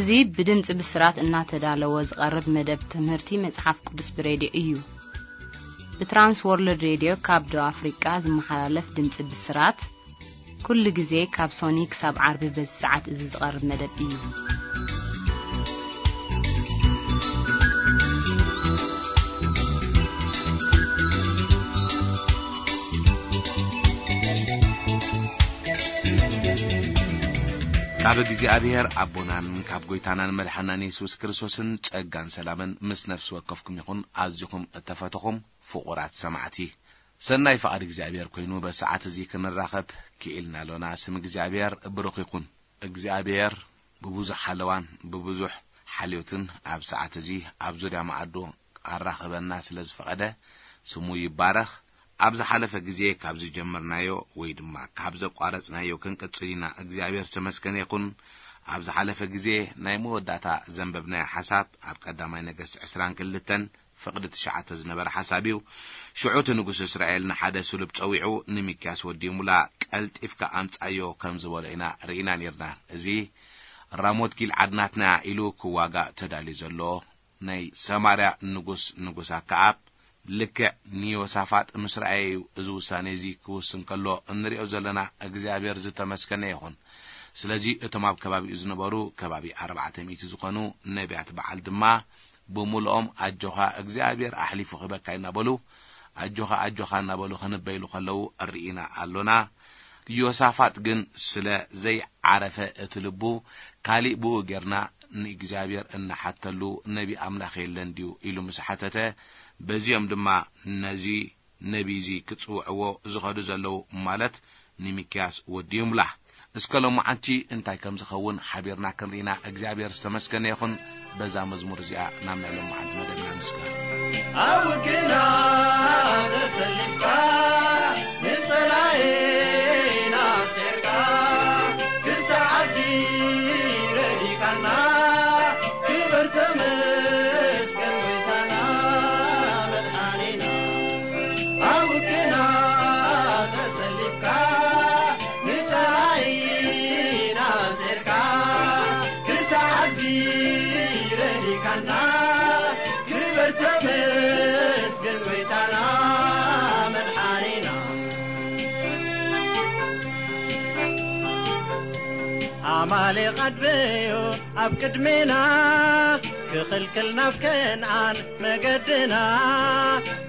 እዚ ብድምጺ ብስራት እናተዳለወ ዝቐርብ መደብ ትምህርቲ መጽሓፍ ቅዱስ ብሬድዮ እዩ። ብትራንስ ወርልድ ሬድዮ ካብ ደቡብ ኣፍሪቃ ዝመሓላለፍ ድምጺ ብስራት፣ ኩሉ ግዜ ካብ ሶኒ ክሳብ ዓርቢ በዚ ሰዓት እዚ ዝቐርብ መደብ እዩ። ካብ እግዚኣብሔር ኣቦናን ካብ ጐይታናን መድሓናን የሱስ ክርስቶስን ጸጋን ሰላምን ምስ ነፍሲ ወከፍኩም ይኹን። ኣዚኹም እተፈተኹም ፍቑራት ሰማዕቲ፣ ሰናይ ፍቓድ እግዚኣብሔር ኮይኑ በሰዓት እዚ ክንራኸብ ክኢልና ኣሎና። ስም እግዚኣብሔር ብሩኽ ይኹን። እግዚኣብሔር ብብዙሕ ሓለዋን ብብዙሕ ሓልዮትን ኣብ ሰዓት እዚ ኣብ ዙርያ መኣዱ ኣራኽበና ስለ ዝፈቐደ ስሙ ይባረኽ። ኣብ ዝሓለፈ ግዜ ካብ ዝጀመርናዮ ወይ ድማ ካብ ዘቋረጽናዮ ክንቅጽል ኢና። እግዚኣብሔር ዝተመስገነ ይኹን። ኣብ ዝሓለፈ ግዜ ናይ መወዳእታ ዘንበብናዮ ሓሳብ ኣብ ቀዳማይ ነገስት ዕስራን ክልተን ፍቕዲ ትሽዓተ ዝነበረ ሓሳብ እዩ። ሽዑ እቲ ንጉስ እስራኤል ንሓደ ስሉብ ጸዊዑ፣ ንሚክያስ ወዲ ሙላ፣ "ቀልጢፍካ ኣምጻዮ" ከም ዝበሎ ኢና ርኢና ኔርና። እዚ "ራሞት ጊልዓድ ናትና" ኢሉ ክዋጋእ ተዳልዩ ዘሎ ናይ ሰማርያ ንጉስ፣ ንጉስ ኣከኣብ፣ ልክዕ ንዮሳፋጥ ምስ ረኣየ እዩ እዚ ውሳኔ እዚ ክውስን ከሎ እንሪኦ ዘለና። እግዚኣብሔር ዝተመስገነ ይኹን። ስለዚ እቶም ኣብ ከባቢኡ ዝነበሩ ከባቢ ኣርባዕተ ሚእቲ ዝኾኑ ነቢያት በዓል ድማ ብምሉኦም "ኣጆኻ፣ እግዚኣብሔር ኣሕሊፉ ክህበካ" እናበሉ፣ "ኣጆኻ፣ ኣጆኻ" እናበሉ ክንበይሉ ከለዉ ርኢና ኣሎና። ዮሳፋጥ ግን ስለ ዘይዓረፈ እቲ ልቡ ካሊእ ብኡ ጌርና ንእግዚኣብሔር እንሓተሉ ነቢ ኣምላኽ የለን ድዩ ኢሉ ምስ ሓተተ፣ በዚኦም ድማ ነዚ ነቢ እዚ ክጽውዕዎ ዝኸዱ ዘለዉ፣ ማለት ንሚክያስ ወዲ ይምላ። እስከ ሎማዓንቲ እንታይ ከም ዝኸውን ሓቢርና ክንርኢና እግዚኣብሔር ዝተመስገነ ይኹን። በዛ መዝሙር እዚኣ ናብ ናይ ሎማዓንቲ መደብና ንስገር። ኣብ ግና ተሰሊፍካ ንጸላኤና ኣስዒርካ ክሳዕ ኣብዚ ረዲካና ክብር ተመስገን ጎይታና መድሓኒና። ኣብ ግና ተሰሊፍካ ንጸላኢና ኣስዒርካ ክሳዕ ኣብዚ ረዲካና ክብር ተመስገን ጎይታና መድሓኒና። ኣማሌቕ ኣድበዮ ኣብ ቅድሜና ክኽልክል ናብ ከነኣን መገድና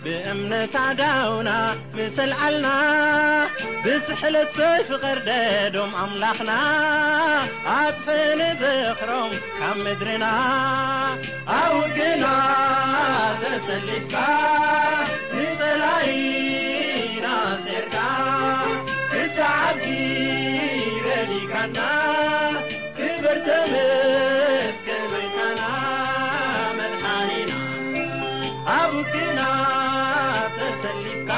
ብእምነት ኣዳውና ምስ ኣልዓልና ብስሕለት ሰይፊ ቀርደዶም ኣምላኽና ኣጥፍእኒ ዝኽሮም ካብ ምድርና። ኣብ ግና ተሰሊፍካ ንጸላኢና ኣስዒርካ ክሳዕ ኣብዚ ረዲካና ክብር ተመስገን ጎይታና መድሓኒና። ኣብ ግና ተሰሊፍካ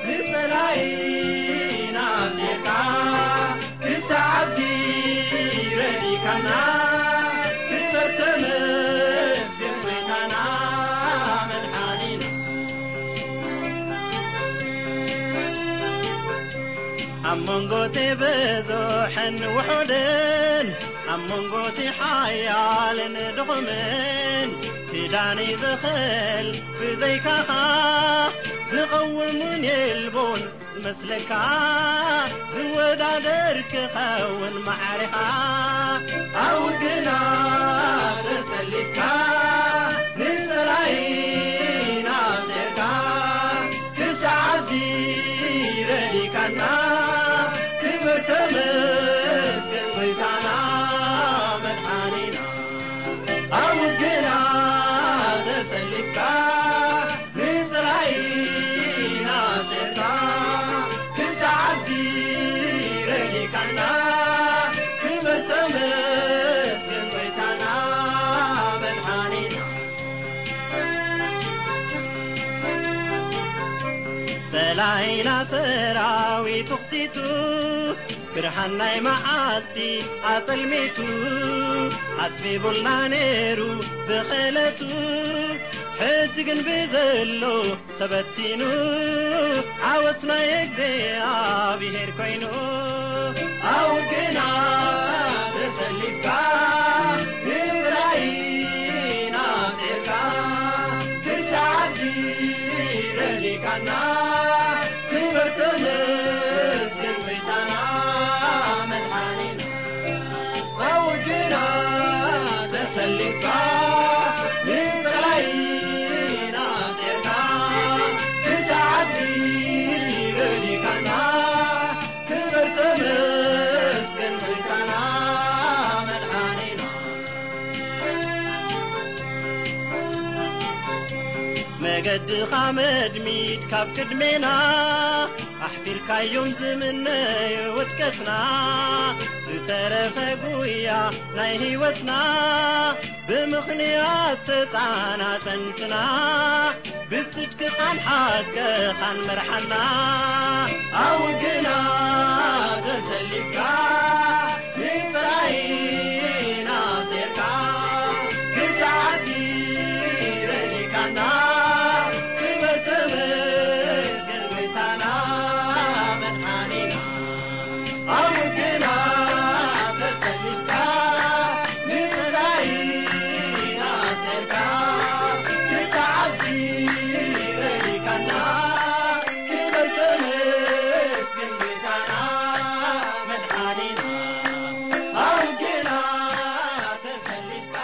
ንጸላኢና ኣስዒርካ ክሳዕ ኣብዚ ረዲካና ክብር ተመስገን ጎይታና መድሓኒና። ኣብ መንጎ እቲ ብዙሕን ውሑድን ኣብ መንጎ እቲ ሓያልን ድኹምን ክዳን እዩ ዝኽእል ብዘይካኻ ዝቐውም እውን የልቦን ዝመስለካ ዝወዳደር ክኸውን ማዕሪኻ። ኣብ ግና ተሰሊፍካ ንጸላኢና ኣስዒርካ ክሳዕ እዚ ረዲካና ክብር ተመስገን ጎይታና መድሓኒና። ኣብ ግና ተሰሊፍካ ንጽላኢና ኣስዒርካ ክሳዕ ኣብዚ ረዲካና ክብር ተመስገን ጎይታና መድሓኒና። ጸላኢና ሰራዊቱ ኣኽቲቱ ብርሃን ናይ መዓልቲ ኣጸልሚቱ ኣጽቢቡልና ነይሩ ብኽእለቱ። ሕጂ ግን ብዘሎ ተበቲኑ ዓወት ናይ እግዚኣብሔር ኮይኑ። ኣብ ግና ተሰሊፍካ ገድኻ መድሚድ ካብ ቅድሜና ኣሕፊርካዮም ዝምነዩ ውድቀትና። ዝተረፈ ጉያ ናይ ህይወትና ብምኽንያት ተጻናጸንትና። ብጽድቅኻን ሓቅኻን መርሓና። ኣብ ውግና ተሰሊፍካ ንጸላኢና ሴርካ ክሳዕቲ ረዲካና። ክበር ተመስገን ጎይታና መድሓኒና። ኣብ ውግና ተሰሊፍካ ንጸላኢና ሴርካ ክሳዕቲ ረዲካና። ክበር ተመስገን ጎይታና መድሓኒና። ኣብ ውግና ተሰሊፍካ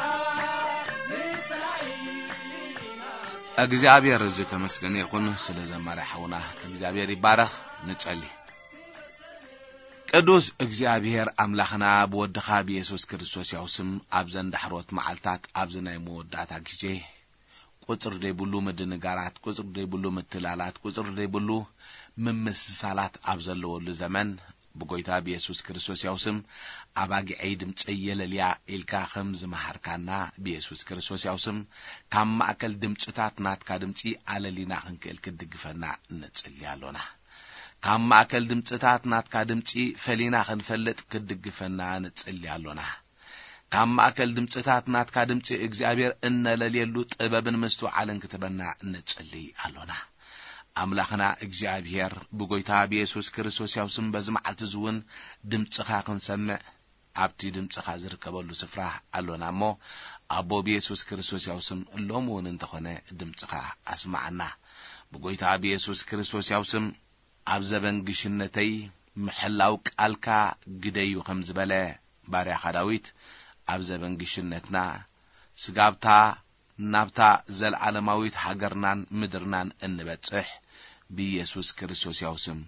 ንጸላኢና እግዚኣብሔር ዝተመስገነ ይኹን። ስለ ዘማሪ ሓውና እግዚኣብሔር ይባረኽ። ንጸሊ። ቅዱስ እግዚኣብሔር ኣምላኽና፣ ብወድኻ ብየሱስ ክርስቶስ ያው ስም ኣብዘን ዳሕሮት መዓልታት፣ ኣብዚ ናይ መወዳእታ ግዜ፣ ቁጽሪ ዘይብሉ ምድንጋራት፣ ቁጽሪ ዘይብሉ ምትላላት፣ ቁጽሪ ዘይብሉ ምምስሳላት ኣብ ዘለወሉ ዘመን፣ ብጎይታ ብየሱስ ክርስቶስ ያው ስም፣ ኣባጊዐይ ድምጸይ የለልያ ኢልካ ከም ዝመሃርካና፣ ብየሱስ ክርስቶስ ያው ስም፣ ካብ ማእከል ድምጽታት ናትካ ድምጺ ኣለሊና ክንክእል ክትድግፈና ንጽሊ ኣሎና። ካብ ማእከል ድምጽታት ናትካ ድምጺ ፈሊና ክንፈልጥ ክትድግፈና ንጽሊ ኣሎና። ካብ ማእከል ድምጽታት ናትካ ድምጺ እግዚኣብሔር እነለልየሉ ጥበብን ምስትውዓልን ክትበና ንጽሊ ኣሎና። ኣምላኽና እግዚኣብሔር፣ ብጎይታ ብየሱስ ክርስቶስ ያው ስም በዚ መዓልቲ እዚ እውን ድምጽኻ ክንሰምዕ ኣብቲ ድምጽኻ ዝርከበሉ ስፍራ ኣሎና እሞ፣ ኣቦ ብየሱስ ክርስቶስ ያው ስም ሎም እውን እንተኾነ ድምጽኻ ኣስማዓና። ብጎይታ ብየሱስ ክርስቶስ ያው ስም ኣብ ዘበን ግሽነተይ ምሕላው ቃልካ ግደዩ ከም ዝበለ ባርያኻ ዳዊት፣ ኣብ ዘበን ግሽነትና ስጋብታ ናብታ ዘለዓለማዊት ሃገርናን ምድርናን እንበጽሕ ብኢየሱስ ክርስቶስ ያው ስም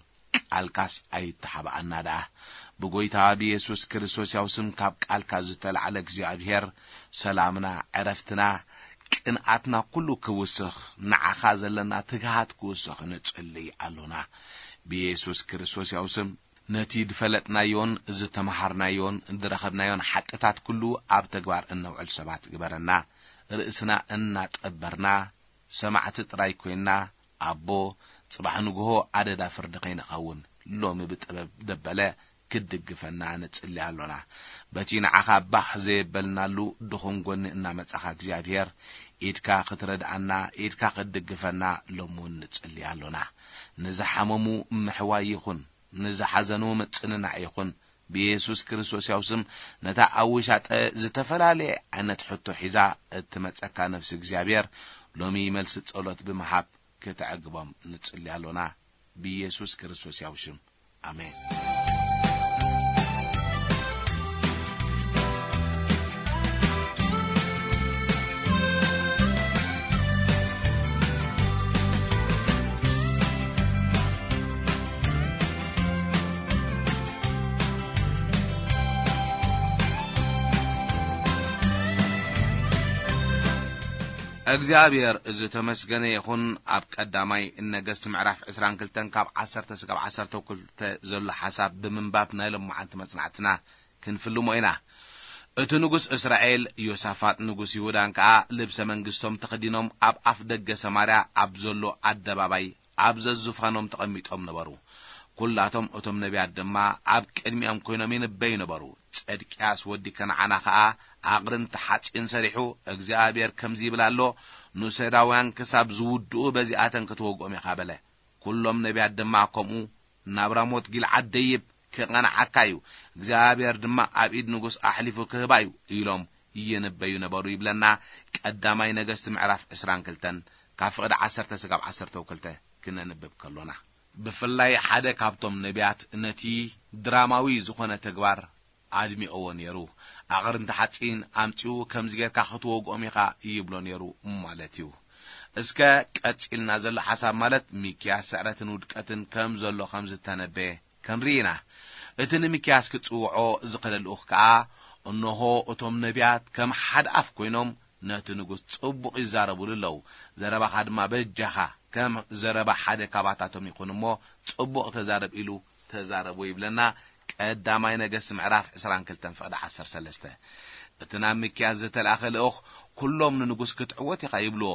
ቃልካስ ኣይተሓብኣና ደኣ። ብጎይታ ብኢየሱስ ክርስቶስ ያው ስም ካብ ቃልካ ዝተላዕለ እግዚኣብሔር ሰላምና፣ ዕረፍትና፣ ቅንኣትና ኩሉ ክውስኽ፣ ንዓኻ ዘለና ትግሃት ክውስኽ ንጽልይ ኣሎና። ብኢየሱስ ክርስቶስ ያው ስም ነቲ ዝፈለጥናዮን ዝተመሃርናዮን ዝረኸብናዮን ሓቅታት ኩሉ ኣብ ተግባር እነውዕል ሰባት ግበረና። ርእስና እናጠበርና ሰማዕቲ ጥራይ ኮይንና፣ ኣቦ፣ ጽባሕ ንግሆ ኣደዳ ፍርዲ ከይንኸውን፣ ሎሚ ብጥበብ ደበለ ክትድግፈና ንጽሊ ኣሎና። በቲ ንዓኻ ባህ ዘየበልናሉ ድኹም ጎኒ እናመጻኻ እግዚኣብሔር፣ ኢድካ ክትረድኣና፣ ኢድካ ክትድግፈና ሎሚ እውን ንጽሊ ኣሎና። ንዝሓመሙ ምሕዋይ ይኹን፣ ንዝሓዘኑ ምጽንናዕ ይኹን፣ ብየሱስ ክርስቶስ ያው ስም ነታ ኣብ ውሻጠ ዝተፈላለየ ዓይነት ሕቶ ሒዛ እትመጸካ ነፍሲ እግዚኣብሔር ሎሚ መልሲ ጸሎት ብምሃብ ክተዕግቦም ንጽሊ ኣሎና። ብየሱስ ክርስቶስ ያው ሽም፣ ኣሜን። እግዚኣብሔር ዝተመስገነ ይኹን። ኣብ ቀዳማይ ነገስት ምዕራፍ ዕስራን ክልተን ካብ ዓሰርተ ስጋብ ዓሰርተ ክልተ ዘሎ ሓሳብ ብምንባብ ናይ ሎማዓንቲ መጽናዕትና ክንፍልሞ ኢና። እቲ ንጉስ እስራኤል ዮሳፋጥ ንጉስ ይሁዳን ከኣ ልብሰ መንግስቶም ተኸዲኖም ኣብ ኣፍ ደገ ሰማርያ ኣብ ዘሎ ኣደባባይ ኣብ ዘዝፋኖም ተቐሚጦም ነበሩ። ኩላቶም እቶም ነቢያት ድማ ኣብ ቅድሚኦም ኮይኖም ይንበዩ ነበሩ። ጸድቅያስ ወዲ ከነዓና ኸኣ ኣቕርንቲ ሓጺን ሰሪሑ፣ እግዚኣብሔር ከምዚ ይብል ኣሎ፣ ንሶርያውያን ክሳብ ዝውድኡ በዚኣተን ክትወግኦም ኢኻ በለ። ኩሎም ነቢያት ድማ ከምኡ ናብ ራሞት ጊልዓድ ደይብ፣ ክቐንዓካ እዩ፣ እግዚኣብሔር ድማ ኣብ ኢድ ንጉስ ኣሕሊፉ ክህባ እዩ ኢሎም ይንበዩ ነበሩ ይብለና። ቀዳማይ ነገስት ምዕራፍ ዕስራን ክልተን ካብ ፍቕዲ ዓሰርተ ስጋብ ዓሰርተ ክልተ ክነንብብ ከሎና፣ ብፍላይ ሓደ ካብቶም ነቢያት ነቲ ድራማዊ ዝኾነ ተግባር ኣድሚቕዎ ነይሩ። ኣቕርንቲ ሓጺን ኣምጺኡ ከምዚ ጌርካ ክትወግኦም ኢኻ ይብሎ ነይሩ ማለት እዩ። እስከ ቀጺልና ዘሎ ሓሳብ ማለት ሚክያስ ስዕረትን ውድቀትን ከም ዘሎ ከም ዝተነበየ ክንርኢ ኢና። እቲ ንሚክያስ ክጽውዖ ዝኸደ ልኡኽ ከኣ፣ እንሆ እቶም ነቢያት ከም ሓደ ኣፍ ኮይኖም ነቲ ንጉስ ጽቡቕ ይዛረቡሉ ኣለዉ። ዘረባኻ ድማ በጃኻ ከም ዘረባ ሓደ ካባታቶም ይኹን እሞ ጽቡቕ ተዛረብ ኢሉ ተዛረቡ ይብለና። ቀዳማይ ነገስት ምዕራፍ ዕስራን ክልተን ፍቕዲ ዓሰርተ ሰለስተ። እቲ ናብ ሚክያስ ዝተላእኸ ልኡኽ፣ "ኩሎም ንንጉስ ክትዕወት ኢኻ" ይብልዎ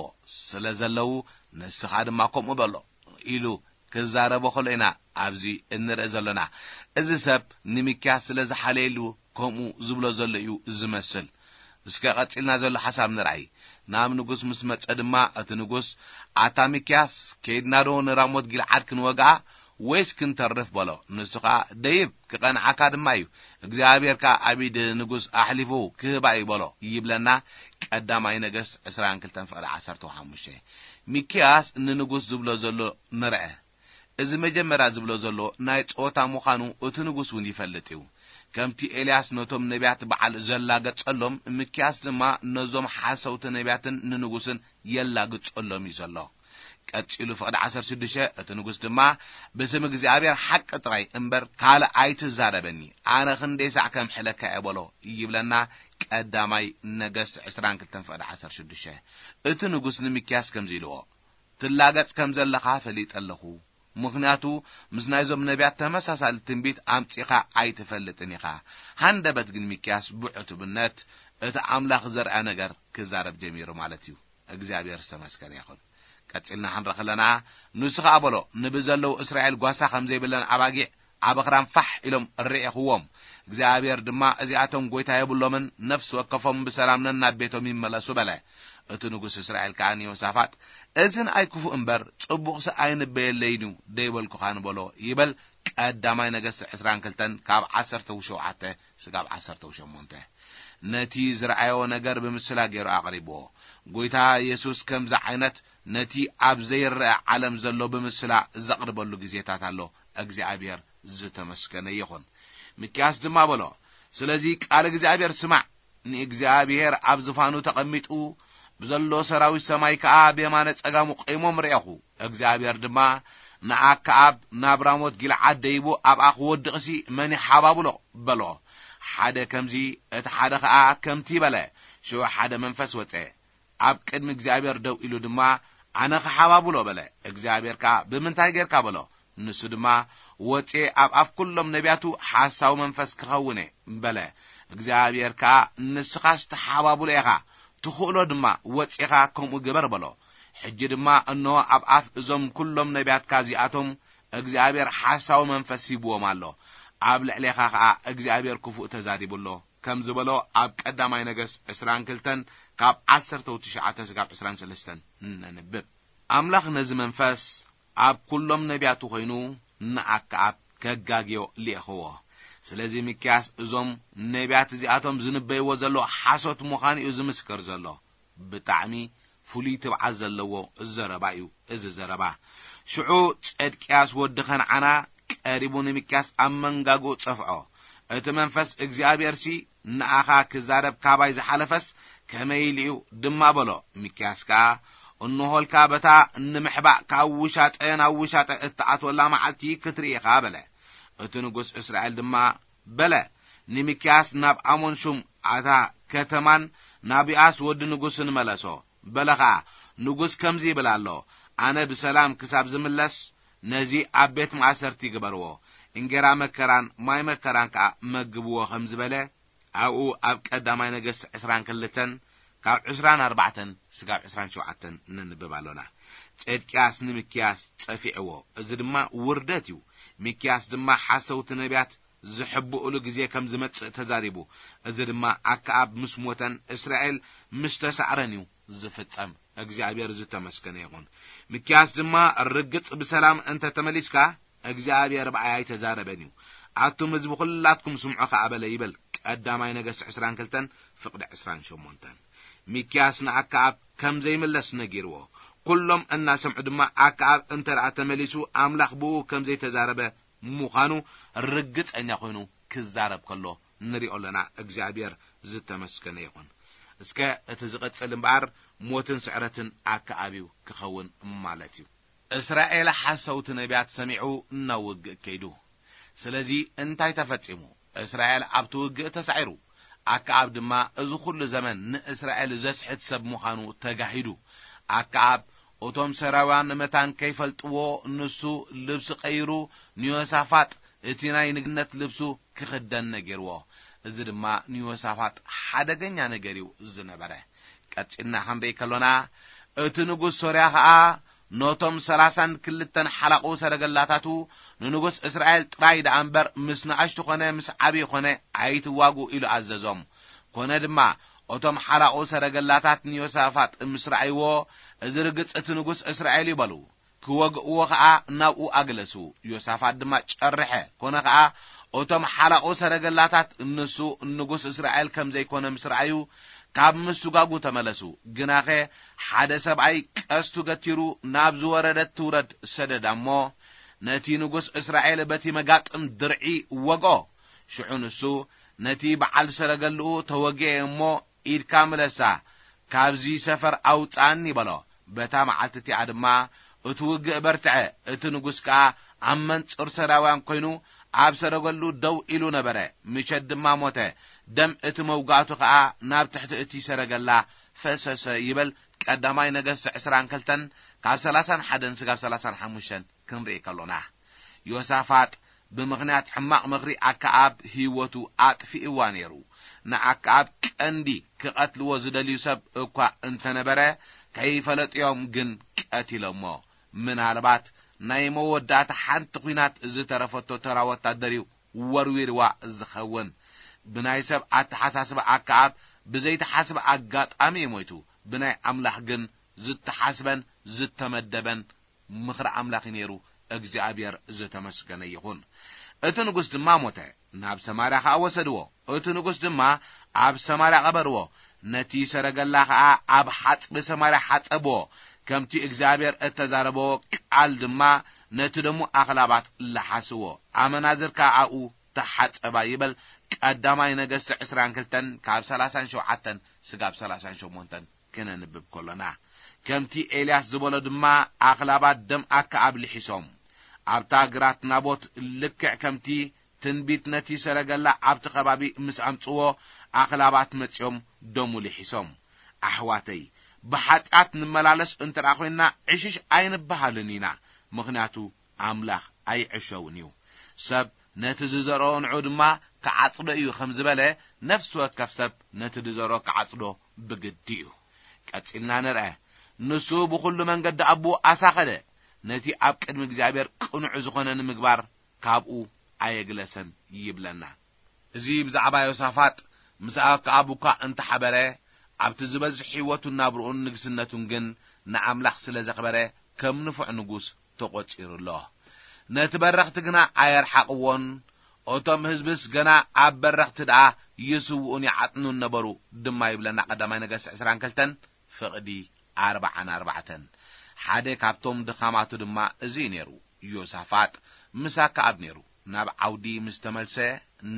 ስለ ዘለዉ፣ "ንስኻ ድማ ከምኡ በሎ" ኢሉ ክዛረቦ ከሎ ኢና ኣብዚ እንርኢ ዘሎና። እዚ ሰብ ንሚክያስ ስለ ዝሓለየሉ ከምኡ ዝብሎ ዘሎ እዩ ዝመስል። እስከ ቀጺልና ዘሎ ሓሳብ ንርኣይ። ናብ ንጉስ ምስ መጸ ድማ እቲ ንጉስ፣ "ኣታ ሚክያስ፣ ከይድና ዶ ንራሞት ጊልዓድ ክንወግኣ ወይስ ክንተርፍ?" በሎ። ንሱ ኸኣ፣ "ደይብ፣ ክቐንዓካ ድማ እዩ፣ እግዚኣብሔር ከኣ ኣብ ኢድ ንጉስ ኣሕሊፉ ክህባ እዩ" በሎ ይብለና። ቀዳማይ ነገስት ዕስራን ክልተን ፍቕዲ ዓሰርተ ሓሙሽተ። ሚክያስ ንንጉስ ዝብሎ ዘሎ ንርአ። እዚ መጀመርያ ዝብሎ ዘሎ ናይ ጸወታ ምዃኑ እቲ ንጉስ እውን ይፈልጥ እዩ። ከምቲ ኤልያስ ነቶም ነቢያት በዓል ዘላገጸሎም፣ ሚክያስ ድማ ነዞም ሓሰውቲ ነቢያትን ንንጉስን የላግጸሎም እዩ ዘሎ። ቀጺሉ ፍቕዲ ዓሰርተ ሽዱሽተ፣ እቲ ንጉስ ድማ፣ "ብስም እግዚኣብሔር ሓቂ ጥራይ እምበር ካልእ ኣይትዛረበኒ፣ ኣነ ክንደይ ሳዕ ከምሕለካ እየ" በሎ ይብለና። ቀዳማይ ነገስት ዕስራን ክልተን ፍቕዲ ዓሰርተ ሽዱሽተ። እቲ ንጉስ ንሚክያስ ከምዚ ኢልዎ፣ "ትላገጽ ከም ዘለኻ ፈሊጠ ኣለኹ፣ ምኽንያቱ ምስ ናይዞም ነቢያት ተመሳሳሊ ትንቢት ኣምጺኻ ኣይትፈልጥን ኢኻ።" ሃንደበት ግን ሚክያስ ብዕቱብነት እቲ ኣምላኽ ዘርኣ ነገር ክዛረብ ጀሚሩ ማለት እዩ። እግዚኣብሔር ዝተመስገነ ይኹን። ቀጺልና ክንርኢ ከለና፣ ንሱ ኸኣ በሎ፣ "ንብዘለዉ እስራኤል ጓሳ ከም ዘይብለን ኣባጊዕ ኣብ ኣኽራን ፋሕ ኢሎም ርኤኽዎም። እግዚኣብሔር ድማ፣ 'እዚኣቶም ጐይታ የብሎምን፣ ነፍሲ ወከፎም ብሰላም ነናብ ቤቶም ይመለሱ' በለ።" እቲ ንጉስ እስራኤል ከኣ ንዮሳፋጥ፣ "እዚ ንኣይ ክፉእ እምበር ጽቡቕሲ ኣይንበየለይን እዩ ደይበልኩኻን?" በሎ ይብል። ቀዳማይ ነገስት ዕስራን ክልተን ካብ ዓሰርተ ሸውዓተ ስጋብ ዓሰርተ ሸሞንተ። ነቲ ዝረኣዮ ነገር ብምስላ ገይሩ ኣቕሪብዎ። ጐይታ የሱስ ከምዚ ዓይነት ነቲ ኣብ ዘይረኣ ዓለም ዘሎ ብምስላ ዘቕርበሉ ግዜታት ኣሎ። እግዚኣብሔር ዝተመስገነ ይኹን። ሚክያስ ድማ በሎ፣ "ስለዚ ቃል እግዚኣብሔር ስማዕ፣ ንእግዚኣብሔር ኣብ ዝፋኑ ተቐሚጡ፣ ብዘሎ ሰራዊት ሰማይ ከኣ ብየማነ ጸጋሙ ቂሞም ርኤኹ። እግዚኣብሔር ድማ ንኣከኣብ ናብ ራሞት ጊልዓድ ደይቡ ኣብኣ ክወድቕሲ መን ይሓባብሎ?" በሎ። ሓደ ከምዚ፣ እቲ ሓደ ኸኣ ከምቲ በለ። ሽዑ ሓደ መንፈስ ወጸ፣ ኣብ ቅድሚ እግዚኣብሔር ደው ኢሉ ድማ፣ "ኣነ ክሓባብሎ" በለ። እግዚኣብሔር ከኣ፣ "ብምንታይ ጌርካ?" በሎ። ንሱ ድማ፣ "ወጽየ ኣብ ኣፍ ኩሎም ነቢያቱ ሓሳዊ መንፈስ ክኸውን እየ" በለ። እግዚኣብሔር ከኣ፣ "ንስኻስ ትሓባብሎ ኢኻ፣ ትኽእሎ ድማ፣ ወጺኻ ከምኡ ግበር" በሎ። ሕጂ ድማ እንሆ ኣብ ኣፍ እዞም ኩሎም ነቢያትካ እዚኣቶም እግዚኣብሔር ሓሳዊ መንፈስ ሂብዎም ኣሎ። ኣብ ልዕሌኻ ኸኣ እግዚኣብሔር ክፉእ ተዛሪቡ ኣሎ ከም ዝበሎ ኣብ ቀዳማይ ነገስት ዕስራን ክልተን ካብ ዓሰርተ ትሽዓተ ስጋብ ዕስራን ሰለስተን ነንብብ። ኣምላኽ ነዚ መንፈስ ኣብ ኩሎም ነቢያቱ ኾይኑ ንኣከኣብ ከጋግዮ ልኢኽዎ። ስለዚ ሚክያስ እዞም ነቢያት እዚኣቶም ዝንበይዎ ዘለዉ ሓሶት ምዃኑ እዩ ዝምስክር ዘሎ። ብጣዕሚ ፍሉይ ትብዓት ዘለዎ ዘረባ እዩ እዚ ዘረባ። ሽዑ ጸድቅያስ ወዲ ኸንዓና ቀሪቡ ንሚክያስ ኣብ መንጋግኡ ጸፍዖ። እቲ መንፈስ እግዚኣብሔርሲ ንኣኻ ክዛረብ ካባይ ዝሓለፈስ ከመይ ኢሉ እዩ ድማ በሎ። ሚክያስ ከኣ፣ እንሆልካ በታ ንምሕባእ ካብ ውሻጠ ናብ ውሻጠ እትኣትወላ መዓልቲ ክትርኢ ኢኻ በለ። እቲ ንጉስ እስራኤል ድማ በለ፣ ንሚክያስ ናብ ኣሞን ሹም ኣታ ከተማን ናብ ዮኣስ ወዲ ንጉስን መለሶ። በለ ኸኣ፣ ንጉስ ከምዚ ይብል ኣሎ፣ ኣነ ብሰላም ክሳብ ዝምለስ ነዚ ኣብ ቤት ማእሰርቲ ግበርዎ፣ እንጌራ መከራን ማይ መከራን ከኣ መግብዎ ከም ዝበለ፣ ኣብኡ ኣብ ቀዳማይ ነገስት ዕስራን ክልተን ካብ ዕስራን ኣርባዕተን ስጋብ ዕስራን ሸውዓተን ነንብብ ኣሎና። ጼድቅያስ ንሚክያስ ጸፊዕዎ፣ እዚ ድማ ውርደት እዩ። ሚክያስ ድማ ሓሰውቲ ነቢያት ዝሕብኡሉ ግዜ ከም ዝመጽእ ተዛሪቡ። እዚ ድማ ኣከኣብ ምስ ሞተን እስራኤል ምስ ተሳዕረን እዩ ዝፍጸም። እግዚኣብሔር ዝተመስገነ ይኹን። ሚክያስ ድማ ርግጽ ብሰላም እንተ ተመሊስካ፣ እግዚኣብሔር ብኣይ ኣይተዛረበን እዩ። ኣቱም ህዝቢ ኩላትኩም ስምዑ ከኣ በለ ይብል ቀዳማይ ነገስት ዕስራን ክልተን ፍቕዲ ዕስራን ሸሞንተን። ሚክያስ ንኣከኣብ ከም ዘይምለስ ነጊርዎ። ኩሎም እናሰምዑ ድማ ኣከኣብ እንተ ደኣ ተመሊሱ ኣምላኽ ብኡ ከም ዘይተዛረበ ምዃኑ ርግጸኛ ኮይኑ ክዛረብ ከሎ ንሪኦ ኣለና። እግዚኣብሔር ዝተመስገነ ይኹን። እስከ እቲ ዝቕጽል እምበኣር ሞትን ስዕረትን ኣከኣብ እዩ ክኸውን ማለት እዩ። እስራኤል ሓሰውቲ ነቢያት ሰሚዑ ናብ ውግእ ከይዱ። ስለዚ እንታይ ተፈጺሙ? እስራኤል ኣብቲ ውግእ ተሳዒሩ። ኣከኣብ ድማ እዚ ኹሉ ዘመን ንእስራኤል ዘስሕት ሰብ ምዃኑ ተጋሂዱ። ኣከኣብ እቶም ሰራውያን መታን ከይፈልጥዎ፣ ንሱ ልብሲ ቀይሩ ንዮሳፋጥ እቲ ናይ ንግነት ልብሱ ክኽደን ነጊርዎ። እዚ ድማ ንዮሳፋጥ ሓደገኛ ነገር እዩ ዝነበረ። ቀጺልና ክንርኢ ከሎና፣ እቲ ንጉስ ሶርያ ኸኣ ነቶም ሰላሳን ክልተን ሓላቑ ሰረገላታቱ፣ "ንንጉስ እስራኤል ጥራይ ደኣ እምበር ምስ ንኣሽቱ ኾነ ምስ ዓብዪ ኾነ ኣይትዋጉ" ኢሉ ኣዘዞም። ኮነ ድማ፣ እቶም ሓላቑ ሰረገላታት ንዮሳፋጥ ምስ ረኣይዎ፣ "እዚ ርግጽ እቲ ንጉስ እስራኤል እዩ" በሉ። ክወግእዎ ኸኣ ናብኡ ኣግለሱ። ዮሳፋጥ ድማ ጨርሐ። ኮነ ኸኣ፣ እቶም ሓላቑ ሰረገላታት ንሱ ንጉስ እስራኤል ከም ዘይኮነ ምስ ረኣዩ፣ ካብ ምስጓጉ ተመለሱ። ግናኸ፣ ሓደ ሰብኣይ ቀስቱ ገቲሩ ናብ ዝወረደት ትውረድ ሰደዳ እሞ፣ ነቲ ንጉስ እስራኤል በቲ መጋጥም ድርዒ ወግኦ። ሽዑ ንሱ፣ "ነቲ በዓል ሰረገልኡ ተወጊኤ እሞ፣ ኢድካ ምለሳ፣ ካብዚ ሰፈር ኣውጽኣኒ" በሎ። በታ መዓልቲ እቲኣ ድማ እቲ ውግእ በርትዐ። እቲ ንጉስ ከኣ ኣብ መንጽር ሰራውያን ኮይኑ ኣብ ሰረገሉ ደው ኢሉ ነበረ። ምሸት ድማ ሞተ። ደም እቲ መውጋእቱ ከኣ ናብ ትሕቲ እቲ ሰረገላ ፈሰሰ ይብል ቀዳማይ ነገስት ዕስራን ክልተን ካብ ሰላሳን ሓደን ስጋብ ሰላሳን ሓሙሽተን ክንርኢ ከሎና። ዮሳፋጥ ብምኽንያት ሕማቕ ምኽሪ ኣከኣብ ህይወቱ ኣጥፊእዋ ነይሩ። ንኣከኣብ ቀንዲ ክቐትልዎ ዝደልዩ ሰብ እኳ እንተነበረ፣ ከይፈለጥዮም ግን ቀቲሎሞ። ምናልባት ናይ መወዳእታ ሓንቲ ኲናት ዝተረፈቶ ተራ ወታደር እዩ ወርዊርዋ ዝኸውን። ብናይ ሰብ ኣተሓሳስባ ኣከኣብ ብዘይተሓስበ ኣጋጣሚ እዩ ሞይቱ። ብናይ ኣምላኽ ግን ዝተሓስበን ዝተመደበን ምኽሪ ኣምላኽ እዩ ነይሩ። እግዚኣብሔር ዝተመስገነ ይኹን። እቲ ንጉስ ድማ ሞተ፣ ናብ ሰማርያ ኸኣ ወሰድዎ። እቲ ንጉስ ድማ ኣብ ሰማርያ ቀበርዎ። ነቲ ሰረገላ ኸኣ ኣብ ሓጽቢ ሰማርያ ሓጸብዎ። ከምቲ እግዚኣብሔር እተዛረበዎ ቃል ድማ ነቲ ደሙ ኣኽላባት ለሓስዎ። ኣመናዝር ከኣ ኣብኡ ተሓጸባ ይበል ቀዳማይ ነገስቲ ዕስራን ክልተን ካብ ሰላሳን ሸውዓተን ስጋብ ሰላሳን ሸሞንተን ክነንብብ ከሎና። ከምቲ ኤልያስ ዝበሎ ድማ ኣኽላባት ደም ኣከኣብ ልሒሶም። ኣብታ ግራት ናቦት ልክዕ ከምቲ ትንቢት ነቲ ሰረገላ ኣብቲ ከባቢ ምስ ኣምጽዎ ኣኽላባት መጺኦም ደሙ ልሒሶም። ኣሕዋተይ፣ ብሓጢኣት ንመላለስ እንተ ደኣ ኾይንና ዕሽሽ ኣይንበሃልን ኢና፣ ምኽንያቱ ኣምላኽ ኣይዕሸውን እዩ። ሰብ ነቲ ዝዘርኦ ንዑ ድማ ክዓጽዶ እዩ ከም ዝበለ፣ ነፍሲ ወከፍ ሰብ ነቲ ዝዘርኦ ክዓጽዶ ብግዲ እዩ። ቀጺልና ንርአ። ንሱ ብኹሉ መንገዲ ኣቦኡ ኣሳኸደ፣ ነቲ ኣብ ቅድሚ እግዚኣብሔር ቅኑዕ ዝኾነ ንምግባር ካብኡ ኣየግለሰን ይብለና። እዚ ብዛዕባ ዮሳፋጥ ምስ ኣከኣብ እኳ እንተሓበረ፣ ኣብቲ ዝበዝሕ ህይወቱን ናብርኡን ንግስነቱን ግን ንኣምላኽ ስለ ዘኽበረ ከም ንፉዕ ንጉስ ተቖጺሩ ኣሎ። ነቲ በረኽቲ ግና ኣየርሓቕዎን፣ እቶም ህዝብስ ገና ኣብ በረኽቲ ደኣ ይስውኡን ይዓጥኑን ነበሩ ድማ ይብለና ቀዳማይ ነገስት ዕስራን ክልተን ፍቕዲ ኣርብዓን ኣርባዕተን። ሓደ ካብቶም ድኻማቱ ድማ እዚ እዩ ነይሩ። ዮሳፋጥ ምስ ኣከኣብ ነይሩ። ናብ ዓውዲ ምስ ተመልሰ፣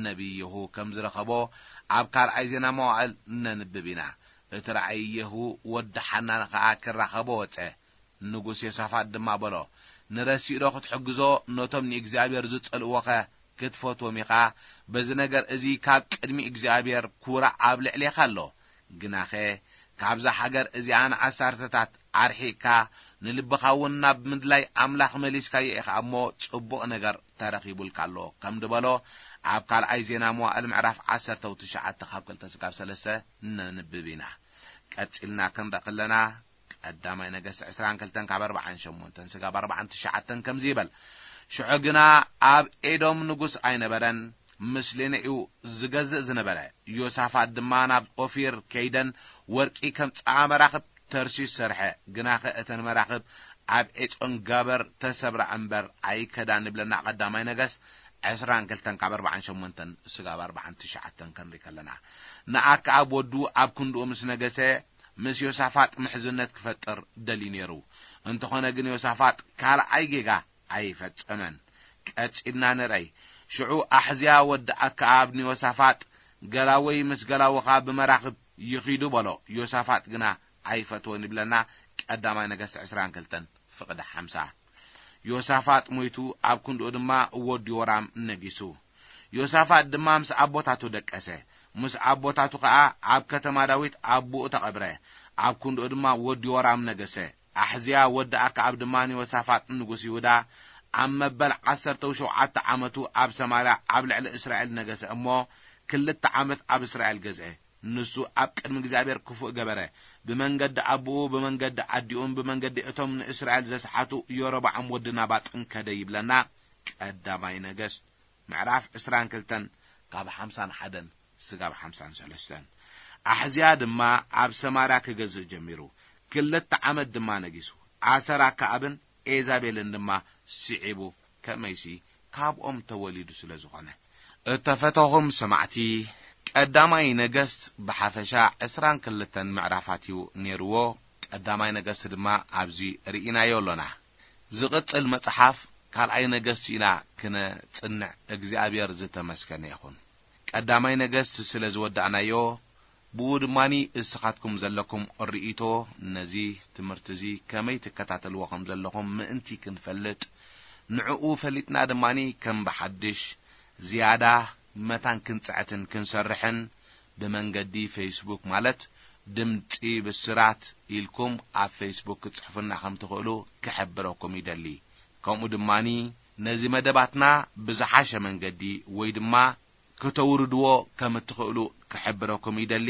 ነቢይ የሁ ከም ዝረኸቦ ኣብ ካልኣይ ዜና መዋእል ነንብብ ኢና። እቲ ራእይ የሁ ወዲ ሓናን ኸኣ ክራኸቦ ወጸ። ንጉስ ዮሳፋጥ ድማ በሎ፣ "ንረሲእ ዶ ክትሕግዞ ነቶም ንእግዚኣብሔር ዝጸልእዎኸ ክትፈትዎም ኢኻ? በዚ ነገር እዚ ካብ ቅድሚ እግዚኣብሔር ኩራዕ ኣብ ልዕሌኻ ኣሎ። ግናኸ ካብዛ ሃገር እዚኣ ንዓሰርተታት ኣርሒቕካ፣ ንልብኻ እውን ናብ ምድላይ ኣምላኽ መሊስካዮ ኢኻ እሞ፣ ጽቡቕ ነገር ተረኺቡልካ ኣሎ" ከም ዝበሎ ኣብ ካልኣይ ዜና መዋእል ምዕራፍ ዓሰርተ ትሽዓተ ካብ ክልተ ስጋብ ሰለስተ ነንብብ ኢና። ቀጺልና ክንርኢ ከለና፣ ቀዳማይ ነገስት ዕስራን ክልተን ካብ ኣርባዓን ሸሞንተን ስጋብ ኣርባዓን ትሽዓተን ከምዚ ይበል፣ "ሽዑ ግና ኣብ ኤዶም ንጉስ ኣይነበረን፣ ምስሌነ እዩ ዝገዝእ ዝነበረ። ዮሳፋጥ ድማ ናብ ኦፊር ከይደን ወርቂ ከምጽኣ መራኽብ ተርሲስ ሰርሐ። ግናኸ እተን መራኽብ ኣብ ዔጾን ጋበር ተሰብራ እምበር ኣይከዳን" ይብለና ቀዳማይ ነገስት ዕስራን ክልተን ካብ ኣርባዓን ሸሞንተን ስጋብ ኣርባዓን ትሽዓተን ክንርኢ ከለና። ንኣከኣብ ወዱ ኣብ ክንድኡ ምስ ነገሰ፣ ምስ ዮሳፋጥ ምሕዝነት ክፈጥር ደልዩ ነይሩ። እንተኾነ ግን ዮሳፋጥ ካልኣይ ጌጋ ኣይፈጸመን። ቀጺልና ንርኣይ። ሽዑ ኣሕዝያ ወዲ ኣከኣብ ንዮሳፋጥ፣ "ገላወይ ምስ ገላውኻ ብመራኽብ ይኺዱ" በሎ። ዮሳፋጥ ግና ኣይፈትዎን ይብለና ቀዳማይ ነገስት ዕስራን ክልተን ፍቕዲ ሓምሳ። ዮሳፋጥ ሞይቱ፣ ኣብ ክንድኡ ድማ ወዲ ዮራም ነጊሱ። ዮሳፋጥ ድማ ምስ ኣቦታቱ ደቀሰ። ምስ ኣቦታቱ ኸኣ ኣብ ከተማ ዳዊት ኣቦኡ ተቐብረ። ኣብ ክንድኡ ድማ ወዲ ዮራም ነገሰ። ኣሕዝያ ወዲ ኣክዓብ ድማ ንዮሳፋጥ ንጉስ ይሁዳ ኣብ መበል ዓሰርተ ሸውዓተ ዓመቱ ኣብ ሰማርያ ኣብ ልዕሊ እስራኤል ነገሰ እሞ፣ ክልተ ዓመት ኣብ እስራኤል ገዝአ። ንሱ ኣብ ቅድሚ እግዚኣብሔር ክፉእ ገበረ። ብመንገዲ ኣቦኡ ብመንገዲ ኣዲኡን ብመንገዲ እቶም ንእስራኤል ዘስሓቱ የሮብዓም ወዲ ናባጥን ከደ ይብለና። ቀዳማይ ነገስት ምዕራፍ ዕስራን ክልተን ካብ ሓምሳን ሓደን ስጋብ ሓምሳን ሰለስተን። ኣሕዝያ ድማ ኣብ ሰማርያ ክገዝእ ጀሚሩ። ክልተ ዓመት ድማ ነጊሱ። ኣሰር ኣክዓብን ኤዛቤልን ድማ ስዒቡ፣ ከመይሲ ካብኦም ተወሊዱ ስለ ዝኾነ። እተፈተኹም ሰማዕቲ፣ ቀዳማይ ነገስት ብሓፈሻ ዕስራን ክልተን ምዕራፋት እዩ ነይርዎ። ቀዳማይ ነገስት ድማ ኣብዚ ርኢናዮ ኣሎና። ዝቕጽል መጽሓፍ ካልኣይ ነገስት ኢና ክነጽንዕ፣ እግዚኣብሔር ዝተመስገነ ይኹን። ቀዳማይ ነገስት ስለ ዝወዳእናዮ፣ ብኡ ድማኒ እስኻትኩም ዘለኩም ርእይቶ ነዚ ትምህርቲ እዚ ከመይ ትከታተልዎ ከም ዘለኹም ምእንቲ ክንፈልጥ፣ ንዕኡ ፈሊጥና ድማኒ ከም ብሓድሽ ዝያዳ መታን ክንጽዕትን ክንሰርሕን ብመንገዲ ፌስቡክ ማለት ድምጺ ብስራት ኢልኩም ኣብ ፌስቡክ ክትጽሕፉና ከም ትኽእሉ ክሕብረኩም ይደሊ። ከምኡ ድማኒ ነዚ መደባትና ብዝሓሸ መንገዲ ወይ ድማ ክተውርድዎ ከም እትኽእሉ ክሕብረኩም ይደሊ።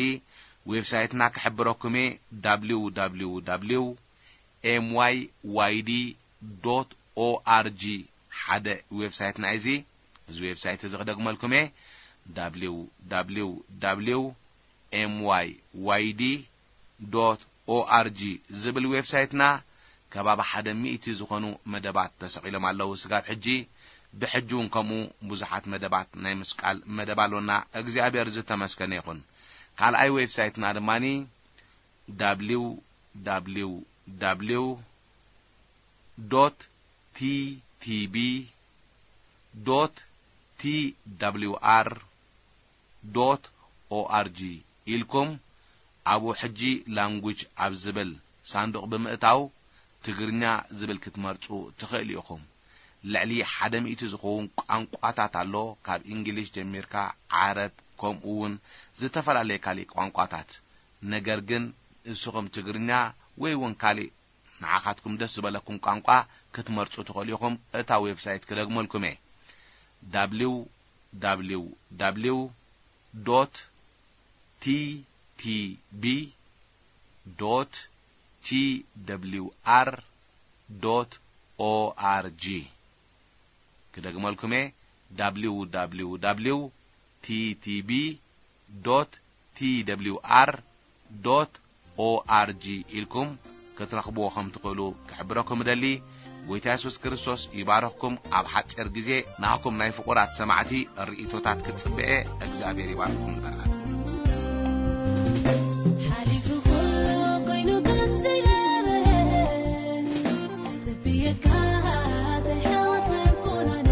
ዌብሳይትና ክሕብረኩም እየ፣ www MYYD dot org። ሓደ ዌብሳይትና እዩ እዚ። እዚ ዌብሳይት እዚ ክደግመልኩም እየ፣ www MYYD dot org ዝብል ዌብሳይትና ከባቢ ሓደ ሚእቲ ዝኾኑ መደባት ተሰቒሎም ኣለዉ። ስጋብ ሕጂ፣ ብሕጂ እውን ከምኡ ብዙሓት መደባት ናይ ምስቃል መደብ ኣሎና። እግዚኣብሔር ዝተመስገነ ይኹን። ካልኣይ ዌብሳይትና ድማኒ www dot ttb dot twr dot org ኢልኩም ኣብኡ ሕጂ ላንጉጅ ኣብ ዝብል ሳንዱቕ ብምእታው ትግርኛ ዝብል ክትመርጹ ትኽእሉ ኢኹም። ልዕሊ ሓደ ሚእቲ ዝኸውን ቋንቋታት ኣሎ፣ ካብ እንግሊሽ ጀሚርካ ዓረብ፣ ከምኡ እውን ዝተፈላለየ ካሊእ ቋንቋታት። ነገር ግን ንስኹም ትግርኛ ወይ እውን ካሊእ ንዓኻትኩም ደስ ዝበለኩም ቋንቋ ክትመርጹ ትኽእሉ ኢኹም። እታ ዌብሳይት ክደግመልኩም እየ፣ www dot ttb dot twr dot org። ክደግመልኩም እየ፣ www ttb dot twr dot org ኢልኩም ክትረኽብዎ ከም ትኽእሉ ክሕብረኩም እደሊ። ጎይታ የሱስ ክርስቶስ ይባርኽኩም። ኣብ ሓጺር ግዜ ናህኩም ናይ ፍቑራት ሰማዕቲ ርእይቶታት ክጽበኤ። እግዚኣብሔር ይባርኽኩም በረኸትኩም። ሓሊፉ ኩሉ ኮይኑ ከም ዘይነበረ ትጽብየካ ዘይሕወት ኣይኮነን።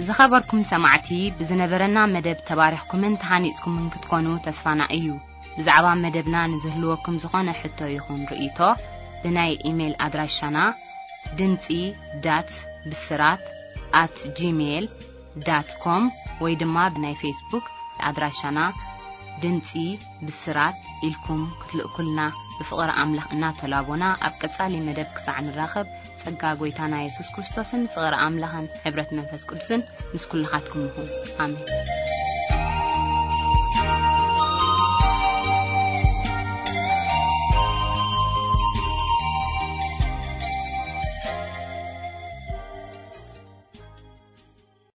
ዝኸበርኩም ሰማዕቲ፣ ብዝነበረና መደብ ተባሪኽኩምን ተሃኒጽኩምን ክትኮኑ ተስፋና እዩ። ብዛዕባ መደብና ንዝህልወኩም ዝኾነ ሕቶ ይኹን ርእይቶ፣ ብናይ ኢሜይል ኣድራሻና ድምጺ ዳት ብስራት ኣት ጂሜይል ዳት ኮም ወይ ድማ ብናይ ፌስቡክ ኣድራሻና ድምጺ ብስራት ኢልኩም ክትልእኩልና ብፍቕሪ ኣምላኽ እናተላቦና፣ ኣብ ቀጻሊ መደብ ክሳዕ ንራኸብ፣ ጸጋ ጎይታና የሱስ ክርስቶስን ፍቕሪ ኣምላኽን ሕብረት መንፈስ ቅዱስን ምስ ኩልኻትኩም ይኹን። ኣሜን።